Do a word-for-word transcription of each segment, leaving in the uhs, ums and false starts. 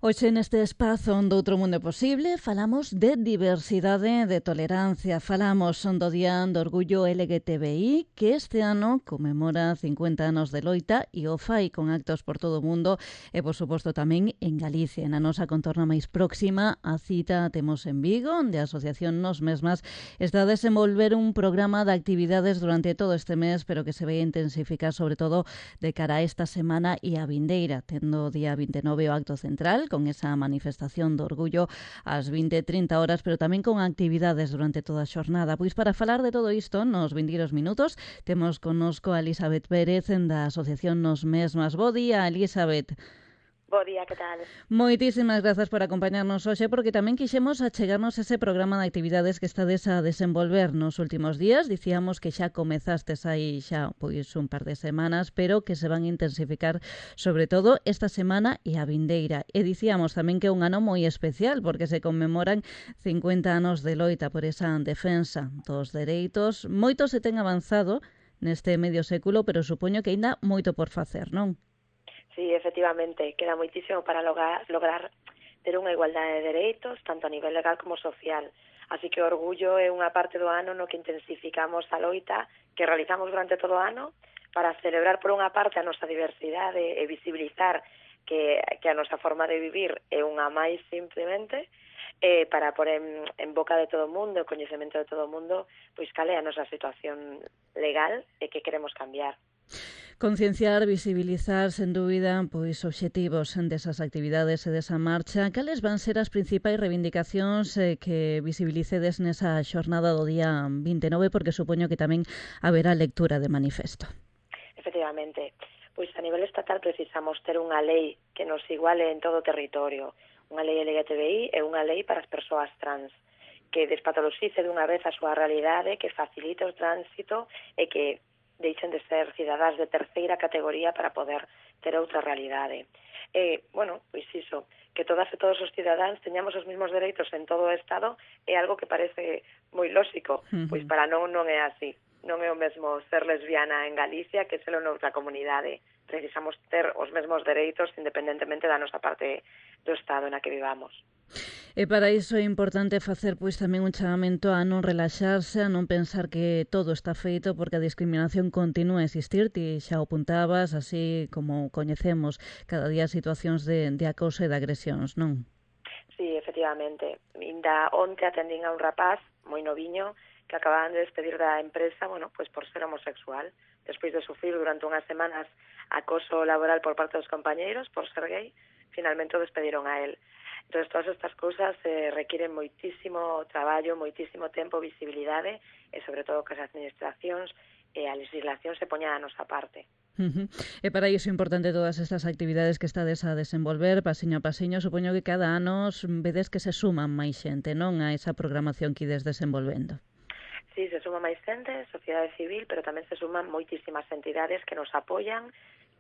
Hoxe neste espazo onde outro mundo é posible falamos de diversidade, de tolerancia, falamos do Día do Orgullo L G T B I que este ano conmemora cincuenta anos de loita e o fai con actos por todo o mundo e por suposto tamén en Galicia, na nosa contorna máis próxima. A cita temos en Vigo, onde a Asociación Nos Mesmas está a desenvolver un programa de actividades durante todo este mes, pero que se vai intensificar sobre todo de cara a esta semana e a vindeira, tendo o día vinte e nove o acto central con esa manifestación do orgullo ás vinte e trinta horas, pero tamén con actividades durante toda a xornada. Pois para falar de todo isto, nos vindeiros minutos, temos connosco a Elizabeth Pérez da Asociación Nos Mesmas. Bo día, Elizabeth. Bo día, que tal? Moitísimas grazas por acompañarnos hoxe, porque tamén quixemos achegarnos ese programa de actividades que estades a desenvolver nos últimos días. Dicíamos que xa comezastes aí xa pois un par de semanas, pero que se van a intensificar sobre todo esta semana e a vindeira. E dicíamos tamén que é un ano moi especial, porque se conmemoran cincuenta anos de loita por esa defensa dos dereitos. Moito se ten avanzado neste medio século, pero supoño que aínda moito por facer, non? Sí, efectivamente, queda moitísimo para lograr, lograr ter unha igualdade de dereitos, tanto a nivel legal como social. Así que o orgullo é unha parte do ano no que intensificamos a loita que realizamos durante todo o ano para celebrar por unha parte a nosa diversidade e visibilizar que, que a nosa forma de vivir é unha máis simplemente, eh, para pôr en, en boca de todo o mundo, o coñecemento de todo o mundo, pois cal é a nosa situación legal e que queremos cambiar. Concienciar, visibilizar, sen dúbida, pois obxectivos desas actividades e desa marcha. Cales van ser as principais reivindicacións eh, que visibilicedes nesa xornada do día vinte e nove, porque supoño que tamén haberá lectura de manifesto? Efectivamente, pois a nivel estatal precisamos ter unha lei que nos iguale en todo o territorio, unha lei L G T B I e unha lei para as persoas trans, que despatoloxice dunha vez a súa realidade, que facilite o tránsito e que deixen de ser cidadás de terceira categoría para poder ter outra realidade. E, bueno, pois iso, que todas e todos os cidadáns teñamos os mesmos dereitos en todo o Estado é algo que parece moi lóxico, uh-huh. Pois para non non é así. Non é o mesmo ser lesbiana en Galicia que serlo noutra comunidade. Precisamos ter os mesmos dereitos independentemente da nosa parte do Estado na que vivamos. E para iso é importante facer pois tamén un chamamento a non relaxarse, a non pensar que todo está feito, porque a discriminación continúa a existir. Ti xa o apuntabas, así como coñecemos cada día situacións de, de acoso e de agresións, non? Sí, efectivamente. Inda onte atendín a un rapaz moi noviño que acababan de despedir da empresa, bueno, pues por ser homosexual, despois de sufrir durante unhas semanas acoso laboral por parte dos compañeiros por ser gay, finalmente o despediron a él. Entón, todas estas cousas eh, requiren moitísimo traballo, moitísimo tempo, visibilidade e, sobre todo, que as administracións e a legislación se poña a nosa parte. Uh-huh. E para iso é importante todas estas actividades que estades a desenvolver, pasiño a pasiño. Supoño que cada ano vedes que se suman máis xente, non, a esa programación que ides desenvolvendo. Sí, se suma máis xente, sociedade civil, pero tamén se suman moitísimas entidades que nos apoian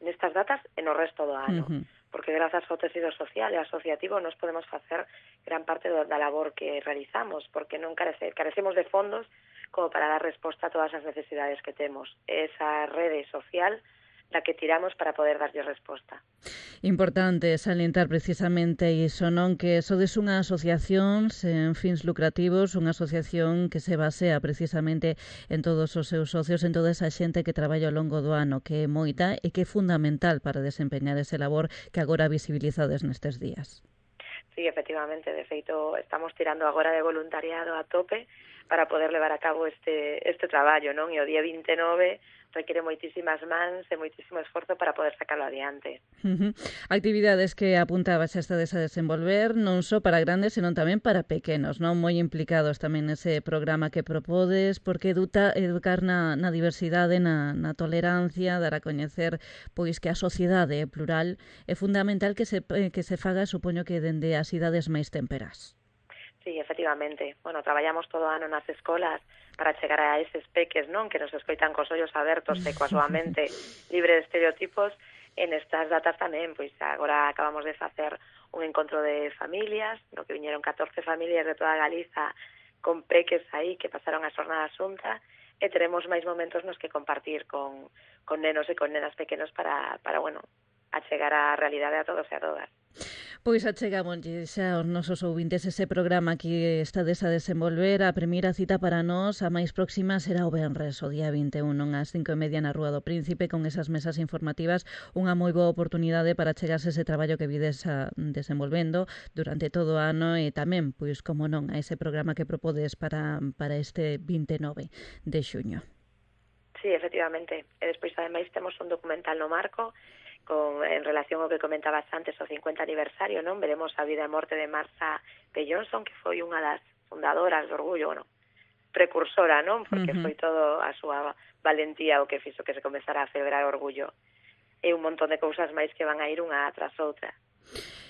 nestas datas e no resto do ano. Uh-huh. Porque grazas ao tecido social e asociativo nos podemos facer gran parte da labor que realizamos, porque non carece, carecemos de fondos como para dar resposta a todas as necesidades que temos. Esa rede social da que tiramos para poder darlle resposta. Importante salientar precisamente iso, non? Que sodes unha asociación sen fins lucrativos, unha asociación que se basea precisamente en todos os seus socios, en toda esa xente que traballa ao longo do ano, que é moita e que é fundamental para desempeñar ese labor que agora visibilizades nestes días. Sí, efectivamente, de feito estamos tirando agora de voluntariado a tope para poder levar a cabo este este traballo, non? E o día vinte e nove requiere moitísimas mans e moitísimo esforzo para poder sacarlo adiante. Uh-huh. Actividades que apuntabas xa estades a desenvolver non só para grandes, senón tamén para pequenos, non? Moi implicados tamén nese programa que propodes, porque eduta, educar na, na diversidade, na, na tolerancia, dar a coñecer pois que a sociedade é plural, é fundamental que se, que se faga, supoño que dende as idades máis temperás. Sí, efectivamente. Bueno, traballamos todo o ano nas escolas para chegar a eses peques, non? Que nos escoitan cos ollos abertos e coa súa mente libre de estereotipos. En estas datas tamén, pois agora acabamos de facer un encontro de familias, no que viñeron catorce familias de toda Galiza con peques aí que pasaron a xornada xunta e teremos máis momentos nos que compartir con, con nenos e con nenas pequenos para, para bueno, a chegar á realidade a todos e a todas. Pois achegamos xa aos nosos ouvintes ese programa que estades a desenvolver. A primeira cita para nós, a máis próxima, será o venres, o día vinte e un, ás cinco e media na Rúa do Príncipe, con esas mesas informativas, unha moi boa oportunidade para chegarse ese traballo que vides a, desenvolvendo durante todo o ano e tamén, pois, como non, a ese programa que propodes para, para este vinte e nove de xuño. Sí, efectivamente. E despois, ademais, temos un documental no marco con, en relación ao que comentabas antes, o cincuenta aniversario, non? Veremos a vida e morte de Marsha P. Johnson, que foi unha das fundadoras do Orgullo, bueno, precursora, non? Porque uh-huh. foi todo a súa valentía o que fixo que se comezara a celebrar o Orgullo. E un montón de cousas máis que van a ir unha tras outra.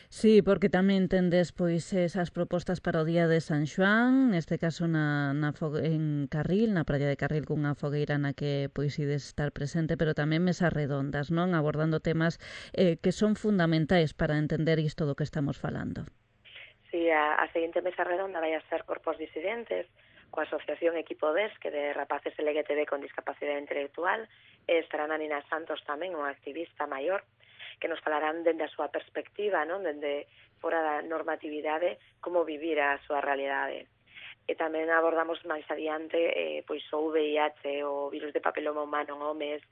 Sí, porque tamén tendes pois esas propostas para o Día de San Xoán, neste caso na, na en Carril, na praia de Carril, cunha fogueira na que pois ides estar presente, pero tamén mesas redondas, non? Abordando temas eh, que son fundamentais para entender isto do que estamos falando. Sí, a, a seguinte mesa redonda vai a ser Corpos Disidentes, coa Asociación Equipo D E S, que de rapaces L G T B con discapacidade intelectual, e estará a Nina Santos tamén, unha activista maior, que nos falarán dende a súa perspectiva, non? Dende fora da normatividade, como vivir a súa realidade. E tamén abordamos máis adiante eh, pois o V I H, o virus de papiloma humano en homes,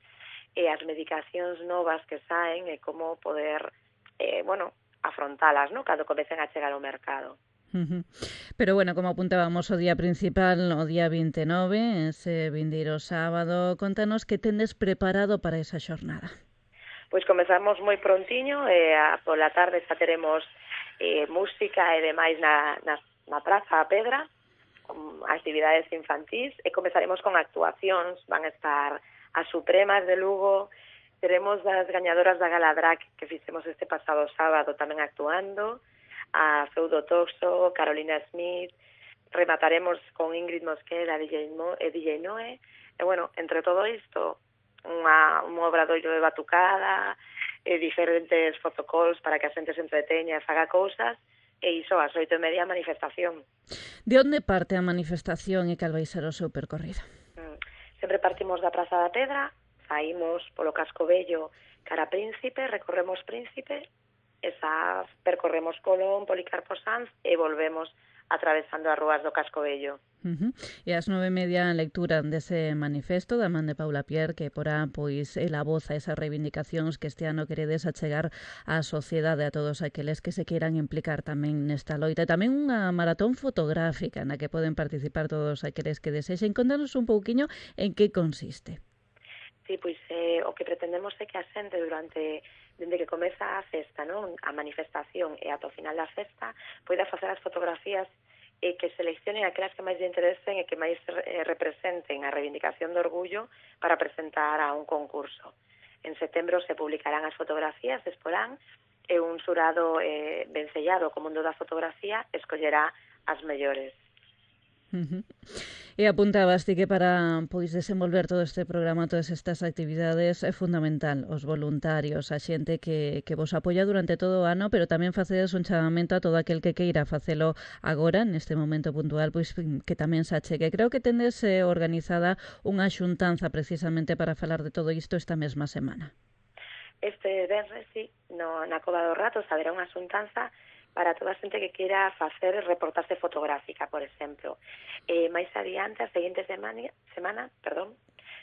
e as medicacións novas que saen e como poder, eh, bueno, afrontalas, non? Cando comecen a chegar ao mercado. Uh-huh. Pero bueno, como apuntábamos o día principal, o día vinte e nove, ese vindeiro sábado, contanos que tendes preparado para esa xornada. Pois comezamos moi prontiño, e a, pola tarde xa teremos eh, música e demais na, na, na Praza a Pedra, con actividades infantís, e comezaremos con actuacións. Van a estar as Supremas de Lugo, teremos as gañadoras da Gala Drag que fixemos este pasado sábado tamén actuando, a Feudo Toxo, Carolina Smith, remataremos con Ingrid Mosquera e D J, Mo, e D J Noe, e bueno, entre todo isto, Unha, un obradoiro de batucada, e diferentes fotocalls para que a xente se entreteña e faga cousas, e iso ás oito e media a manifestación. De onde parte a manifestación e cal vai ser o seu percorrido? Mm. Sempre partimos da Praza da Pedra, saímos polo Casco Vello cara Príncipe, recorremos Príncipe, esa percorremos Colón, Policarpo Sanz e volvemos atravesando as rúas do Casco Vello. Uh-huh. E ás nove e media a lectura dese manifesto da man de Paula Pierre, que porá pois el a voz a esas reivindicacións que este ano queredes achegar á sociedade, a todos aqueles que se queiran implicar tamén nesta loita. E tamén unha maratón fotográfica na que poden participar todos aqueles que desexen. Contanos un pouquiño en que consiste. Sí, pois eh, o que pretendemos é que a xente durante dende que comeza a festa, non? A manifestación e ata o final da festa, poida facer as fotografías e que seleccionen aquelas que máis lle interesen e que máis eh, representen a reivindicación do orgullo para presentar a un concurso. En setembro se publicarán as fotografías, se exporán, e un xurado eh, vencellado co mundo da fotografía escollerá as mellores. Uh-huh. E apuntabas ti que para pois desenvolver todo este programa, todas estas actividades, é fundamental os voluntarios, a xente que, que vos apoia durante todo o ano, pero tamén facedes un chamamento a todo aquel que queira facelo agora, neste momento puntual, pois que tamén se achegue. Creo que tendes eh, organizada unha xuntanza precisamente para falar de todo isto esta mesma semana. Este venres, sí, no, na Cova do Rato haberá unha xuntanza para toda a xente que queira facer reportaxe fotográfica, por exemplo. E máis adiante, a seguinte semana, semana perdón,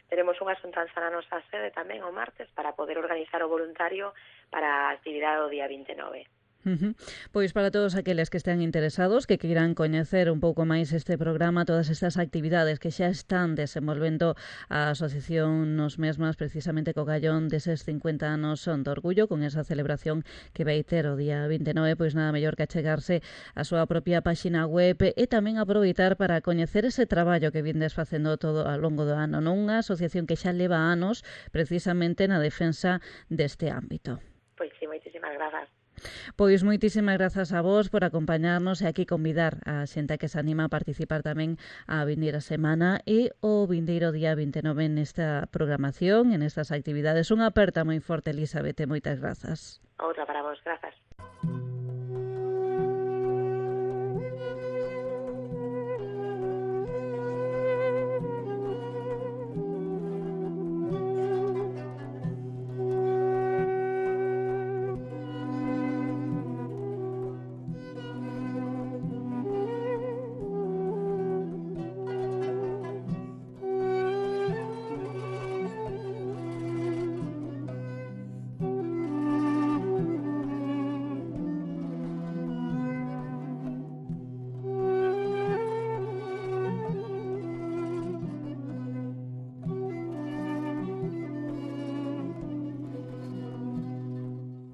teremos unha xuntanza na nosa sede tamén o martes para poder organizar o voluntario para a actividade do día vinte e nove. Uh-huh. Pois para todos aqueles que estén interesados, que queiran coñecer un pouco máis este programa, todas estas actividades que xa están desenvolvendo a asociación nos mesmas, precisamente co gallón deses cincuenta anos son de orgullo, con esa celebración que vai ter o día vinte e nove, pois nada mellor que achegarse a súa propia páxina web e tamén aproveitar para coñecer ese traballo que vindes facendo todo ao longo do ano, non? Unha asociación que xa leva anos precisamente na defensa deste ámbito. Pois sí, moitísimas grazas. Pois moitísimas grazas a vos por acompañarnos e aquí convidar a xente que se anima a participar tamén a vindeira semana e o vindeiro día vinte e nove nesta programación, en estas actividades. Unha aperta moi forte, Elizabeth, moitas grazas. Outra para vos, grazas.